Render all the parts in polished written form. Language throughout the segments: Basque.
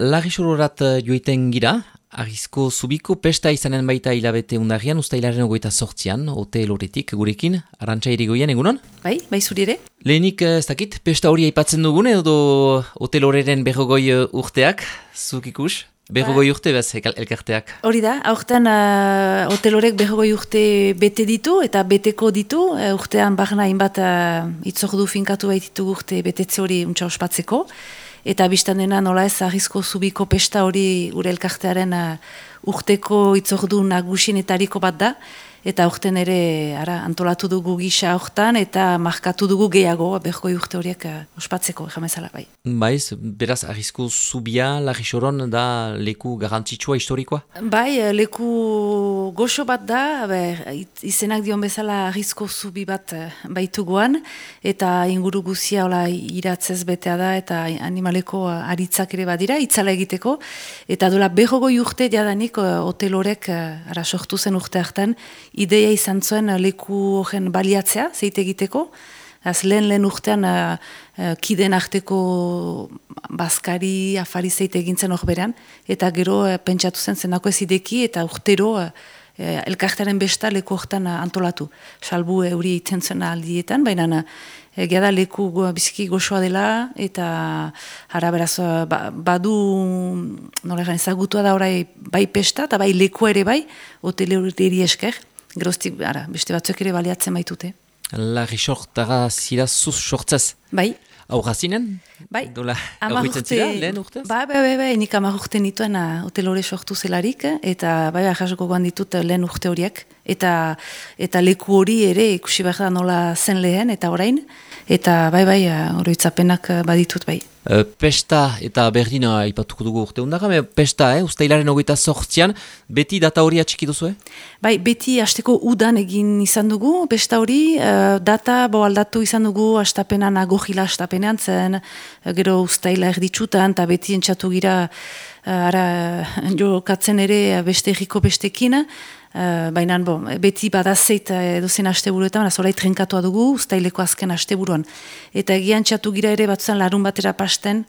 Larrisorat joiten gira, Arrizko Zubiko pesta izanen baita hilabete undarrian, ustailaren 28an, hotel horretik gurekin, Arantxa Irigoyen, egunon? Bai zuri ere. Lehenik, ez dakit, pesta hori aipatzen dugun, edo hotel horren berrogoi urteak, zuk ikus? Berrogoi urte bez, elkarteak. Hori da, aurten hotel horrek berrogoi urte bete ditu, eta beteko ditu, urtean barna hainbat itzordu finkatu baititugu urte betetze hori untsa ospatzeko. Eta biztan dena nola ez Arrizko Zubiko pesta hori gure elkartearen urteko itzordu nagusienetariko bat da. Eta urten ere antolatu dugu gisa hortan eta markatu dugu gehiago berrogoi urte horiek ospatzeko, jamezala bai. Baiz, beraz Arrizko Zubia, Larrisoron da leku garrantzitsua historikoa? Bai, leku goxo bat da, izenak dion bezala Arrizko Zubi bat baituguan, eta inguru guzia iratzez betea da, eta animaleko aritzak ere badira, itzala egiteko, eta dola berrogoi urte jadanik hotel horrek sortu zen urte hartan, ideia izan zuen leku horren baliatzea, zeite egiteko, lehen urtean kideen arteko bazkari, afari zeite egintzen hor beran, eta gero pentsatu zenako ez ideki, eta urtero elkartearen besta leku hortan antolatu. Salbu euri iten zuen aldietan, baina egia da leku biziki goxoa dela, eta beraz badu nola ezagutua da orai bai pesta, eta bai leku ere bai, hotel hori esker, geroztik beste batzuk ere baliatzen baitute. Larrisortara zira zuz sortzez? Bai. Aurra zinen? Bai. Aurritzen zira, lehen urtez? Bai, nik 10 urte nituen hotel hori sortu zelarik, eta bai, jasoko goan ditut lehen urte horiek, eta leku hori ere ikusi behar da nola zen lehen, eta orain, eta bai, oroitzapenak baditut bai. Pesta eta berdina ipatuko dugu urte undara, pesta, ustailaren 28an, beti data hori atxiki duzu, Bai, beti hasteko udan egin izan dugu, pesta hori, data aldatu izan dugu hastapenan agogila hastapenean zen, gero ustaila erditsutan, eta beti entxatu gira, jokatzen ere beste egiko bestekin, baina beti badazeit edozen asteburuetan, zorai trenkatoa dugu, ustaileko azken asteburuan. Eta egian txatu gira ere batzuan larun batera pasten,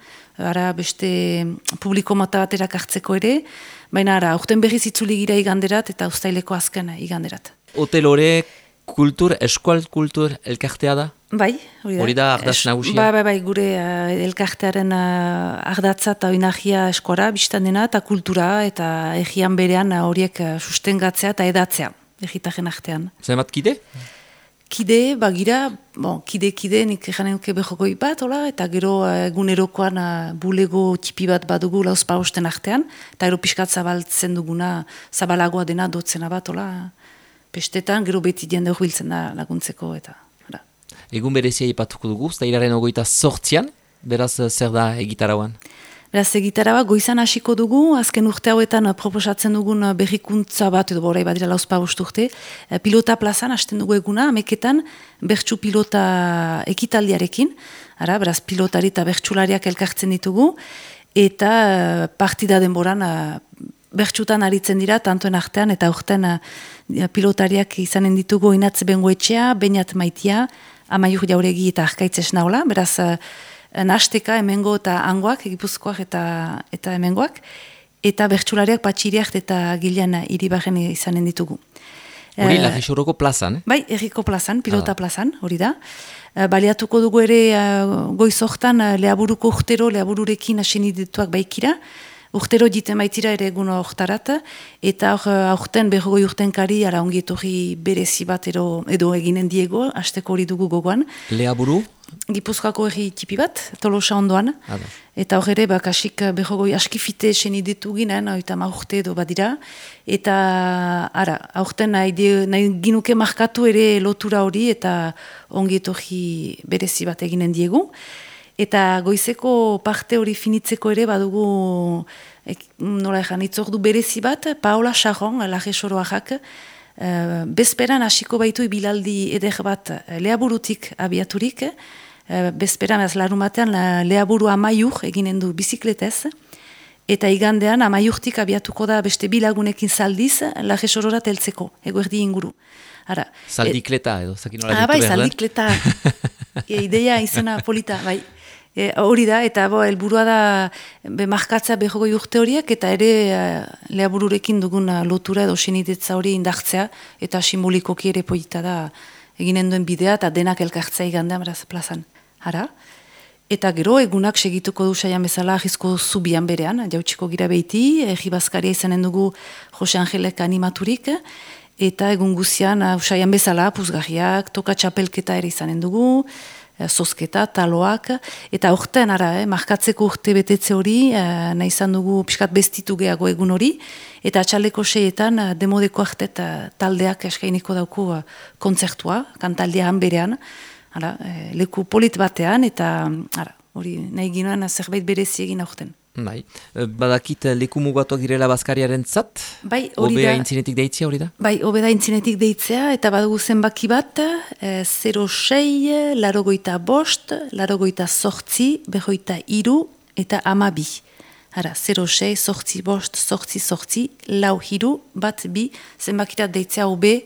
beste publiko mota batera kartzeko ere, baina urten berriz itzuli gira iganderat eta ustaileko azken iganderat. Hotel horrek eskual kultur elkartea da? Bai, hori da ardaz nagusia? Bai, gure elkartearen ardatza eta oinahia eskora, biztan dena, eta kultura, eta egian berean horiek sustengatzea eta edatzea, egitaren artean. Zenbat kide? Kide, bagira, kide, nik janen nuke behogoi bat, eta gero egunerokoan bulego tipi bat badugu lauzpa osten artean, eta gero pixkat zabaltzen duguna, zabalagoa dena dotzena bat, pestetan, gero beti diende hori biltzen da laguntzeko, eta... Egun berezia ipatuko dugu, ustailaren 28an, beraz zer da egitarauan? Beraz egitarauan goizan hasiko dugu, azken urte hauetan proposatzen dugun berrikuntza bat, edo borai badira lauzpa urte, pilota plazan hasten dugu eguna, ameketan bertsu pilota ekitaldiarekin, beraz pilotari eta bertsulariak elkartzen ditugu, eta partida denboran bertsutan aritzen dira, tantoen artean, eta urtean pilotariak izanen ditugu Inatze Bengoetxea, Beñat Maitia, Amaiur Jauregi eta Arkaitz Esnaola, beraz nasteka hemengo eta angoak, Gipuzkoak eta hemengoak, eta bertsulariak Patxiriak eta Gilean Iribarren izanen ditugu. Hori Larrisoroko plazan, Bai, erriko plazan, pilota plazan, hori da. Baliatuko dugu ere goizortan leaburuko urtero, leabururekin aseni dituak baikira, urtero jiten baitira ere egun hortarat, eta aurten berrogoi urtenkari ongi etorri berezi bat edo eginen diego, hasteko hori dugu gogoan. Leaburu? Gipuzkoako herri tipi bat, Tolosa ondoan, eta hor ere kasik berrogoi askifite eseni ditu ginen, eta urte edo badira, eta aurten nahi ginuke markatu ere lotura hori, eta ongi etorri berezi bat eginen diegu. Eta goizeko parte hori finitzeko ere badugu itzordu berezi bat, Paola Charron, Larrisoroak, bezperan hasiko baitu ibilaldi eder bat leaburutik abiaturik, bezperan larumatean leaburu Amaiur eginen du bizikletez, eta igandean Amaiurtik abiatuko da beste bilagunekin zaldiz Larrisororat heltzeko, eguerdi inguru. Zaldikleta edo, zakin nola ditu behar. Bai, zaldikleta, ideia izena polita, bai. Hori da, eta helburua da markatza 20 urte horiek, eta ere leabururekin dugun lotura edo senitetza hori indartzea, eta simbolikoki ere polita da eginen duen bidea, eta denak elkartzea igandean beraz plazan. Hara? Eta gero egunak segituko du saian bezala Arrizko Zubian berean, jautsiko gira behiti, Ejibazkaria izanen dugu Jose Angelek animaturik, eta egun guzian saian bezala, puzgarriak, toka txapelketa ere izanen dugu, zozketa, taloak, eta orten markatzeko urte betetze hori, nahi izan dugu pixkat bestitu gehiago egun hori, eta atxaleko 6etan demodeko artet taldeak eskainiko dauku kontzertua, kantaldia hanberean, leku polit batean, eta hori nahi ginoen zerbait berezi egin aurten. Bai, badakit leku mugatuak direla Bazkariaren zat? Bai, hori da. Obeda intzinetik deitzea hori da? Bai, obeda intzinetik deitzea, eta badugu zenbaki bat, 06, 85, 88, 43, eta 12. Hara, 06, 85, 88, 43, 2, zenbakirat deitzea obe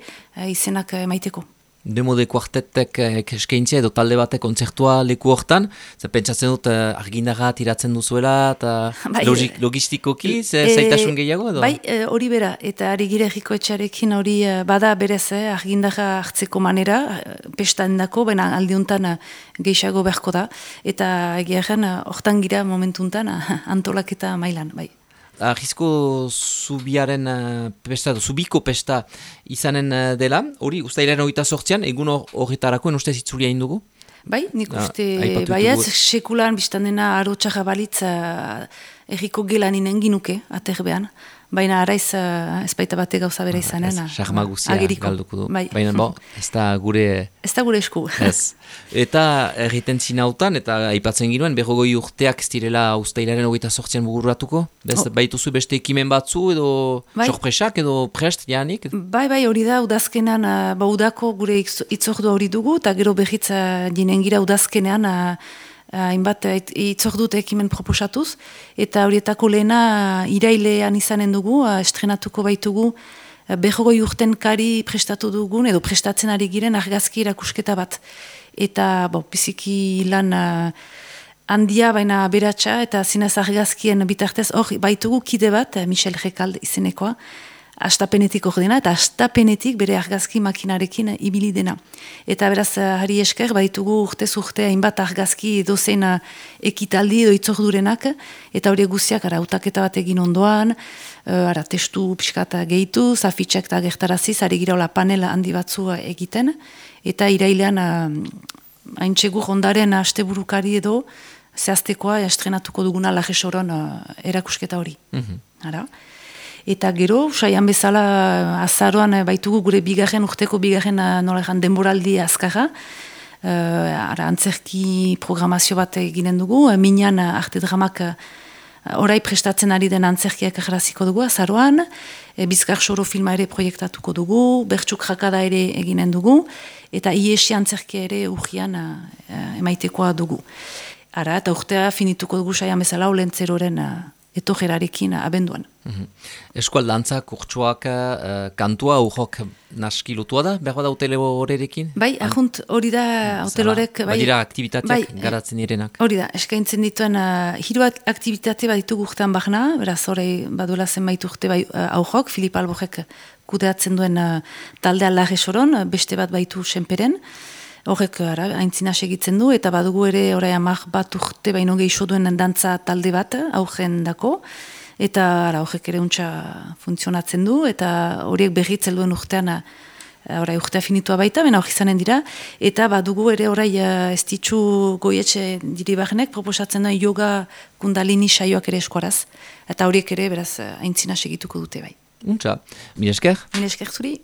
izenak maiteko. Demode kuartetek eskaintzea edo talde batek kontzertua leku hortan, pentsatzen dut argindarra tiratzen duzuela, eta logistikoki, zaitasun gehiago edo? Bai, hori bera, eta ari gire erriko etxarekin hori bada berez, argindarra hartzeko manera, pestandako, baina aldiuntan gehiago beharko da, eta egiaren hortan gira momentuntan antolaketa mailan, bai. Arrizko Zubiaren pesta, Zubiko pesta izanen dela, hori uztailaren 28an, egun horretarakoen ustez itzulia indugu? Bai, nik uste, baiaz, sekulan biztan dena arotxarra balitz erriko gelan inen ginuke, aterbean. Baina araiz ez baita bate gauza bera izanen. Sarma guzia galduko du. Bai. Baina ez da gure... Ez da gure esku. Ez. Eta erriten zinautan, eta aipatzen ginoen, 20 urteak ez direla uztailaren 28an buguratuko? Baituzu beste ekimen batzu edo sorpresak edo prest janik? Bai, hori da, udazkenan, udako gure itzordu hori dugu, eta gero behitza jinen gira udazkenean, hainbat itzordut ekimen proposatuz, eta horietako lehena irailean izanen dugu, estrenatuko baitugu 20 urten kari prestatu dugun, edo prestatzen ari giren argazki erakusketa bat. Eta biziki lan handia, baina beratxa, eta zinez argazkien bitartez, hor baitugu kide bat, Michel Rekald izenekoa, astapenetik ordena, eta astapenetik bere argazki makinarekin ibili dena. Eta beraz, hari esker, baitugu urtez urte hainbat argazki dozein ekitaldi edo itzordurenak, eta hori guziak, utaketa bat egin ondoan, testu pixkata gehitu, zafitxek eta gertaraziz, ari gira panel handi batzu egiten, eta irailean haintxegur ondaren asteburukari edo, zehaztekoa estrenatuko duguna lajesoron erakusketa hori. Eta gero, saian bezala azaroan baitugu gure urteko bigarren nolean denboraldi azkarra. Antzerki programazio bat eginen dugu, minan arte dramak orai prestatzen ari den antzerkiak ageraziko dugu azaroan, Bizkar Soro filma ere proiektatuko dugu, Bertxuk Jakada ere eginen dugu, eta Iesi antzerkia ere urgian emaitekoa dugu. Eta urtea finituko dugu saian bezala olentzeroren etojerarekin abenduan. Eskualdantza, kurtsuak, kantua, urrok naski lotua da, behar da hotele horrekin? Bai, ahunt hori da hotelorek... Badira aktibitateak garatzen direnak? Hori da, eskaintzen dituen hiru aktivitate bat ditugu urtean bahna, beraz horrei baduela zenbait urte aurrok, Filip Alborek kudeatzen duen taldea Larresoron, beste bat baitu Senperen, horrek aintzina segitzen du, eta badugu ere orai 10 bat urte baino gehiago duen dantza talde bat, aurren dako, eta horrek ere untxa funtzionatzen du, eta horiek berritzel duen urtean, orai urtea finitua baita, bena hori izanen dira, eta badugu ere orai ez ditxu goietxe diribarnek, proposatzen duen yoga kundalini saioak ere eskuaraz, eta horiek ere beraz aintzina segituko dute bai. Untxa, mil esker? Mil esker zuri.